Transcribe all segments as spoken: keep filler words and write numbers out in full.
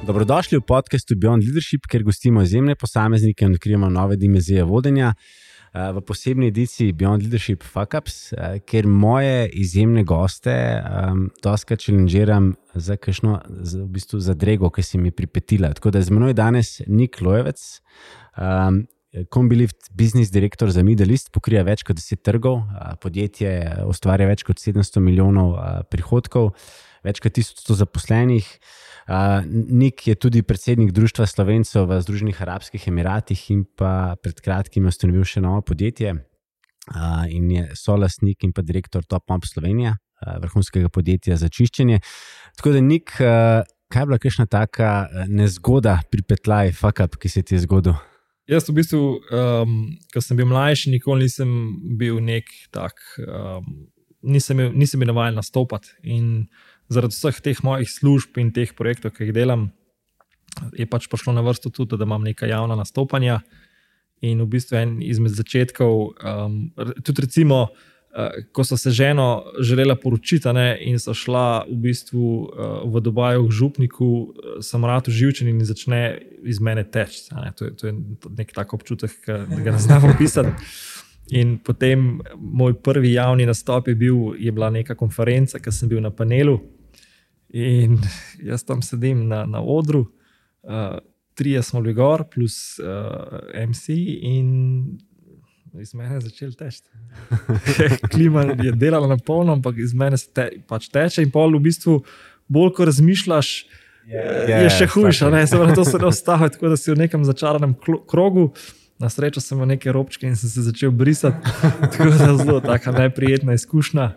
Dobrodošli v podcastu Beyond Leadership, kjer gostimo izjemne posameznike in odkrijemo nove dimenzije vodenja. V posebni ediciji Beyond Leadership Fuck Ups, kjer moje izjemne goste um, doskrat challengeram za kakšno, za, v bistvu za drego, ki si mi pripetila. Tako da z menoj danes Nik Lojevec, um, Combilift business direktor za Middle East, pokrija več kot deset trgov, podjetje ustvarja več kot sedemsto milijonov prihodkov, več kot tisoč sto zaposlenih. Uh, Nik je tudi predsednik Društva Slovencev v Združenih arabskih Emiratih in pa pred kratkim je ustanovil še novo podjetje uh, in je solastnik in pa direktor Top Mop Slovenija, uh, vrhunskega podjetja za čiščenje. Tako da Nik, uh, kaj je bila kakšna taka nezgoda, pripetljaj, fuck up, ki se ti je zgodil? Jaz v bistvu, um, ko sem bil mlajši, nikoli nisem bil nek tak, um, nisem, nisem bil navajen nastopati in zaradi vseh teh mojih služb in teh projektov, ki jih delam, je pač prišlo na vrsto tudi, da imam neka javna nastopanja in v bistvu en izmed začetkov, um, tudi recimo, uh, ko so se ženo želela poročiti ne, in so šla v bistvu uh, v Dubaju k župniku, sem rad uživčen in začne iz mene teči. To, to je nek tak občutek, ki ga ne znam opisati. In potem moj prvi javni nastop je bil, je bila neka konferenca, ki sem bil na panelu in jaz tam sedim na, na odru, uh, trije smo bili gor plus uh, em si in iz mene je začel teči. Klima je delala na polno, ampak iz mene se te, pač teče in pol v bistvu bolj, ko razmišljaš, yeah, je yeah, še hujša, ne, se to se ne ostavi, tako da si v nekem začaranem krogu. Na srečo sem imel neke robčke in sem se začel brisati, tako da je zelo taka neprijetna izkušnja.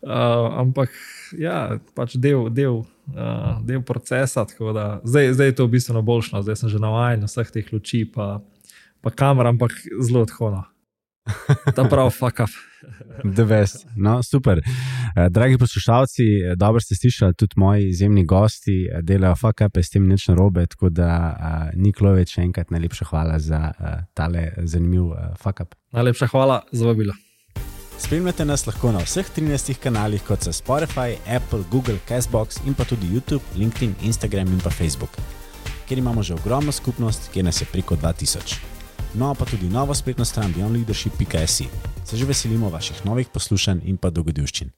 Uh, ampak ja, pač del, del, uh, del procesa, tako da zdaj, zdaj je to bistveno boljšno, zdaj sem že navajen vseh teh luči pa, pa kamer, ampak zelo odhono. Ta prav fuck up. The best. No, super. Dragi poslušalci, dobro ste slišali, tudi moji izjemni gosti delajo fuck up, s tem nič narobe, tako da uh, Nik Lojevec, še enkrat najlepša hvala za uh, tale zanimiv uh, fuck up. Najlepša hvala za vabilo. Spremljate nas lahko na vseh trinajstih kanalih, kot so Spotify, Apple, Google, Castbox in pa tudi YouTube, LinkedIn, Instagram in pa Facebook, kjer imamo že ogromno skupnost, kjer nas je preko dva tisoč. No, pa tudi novo spletno stran beyond leadership pika si. Se že veselimo vaših novih poslušanj in pa dogodivščin.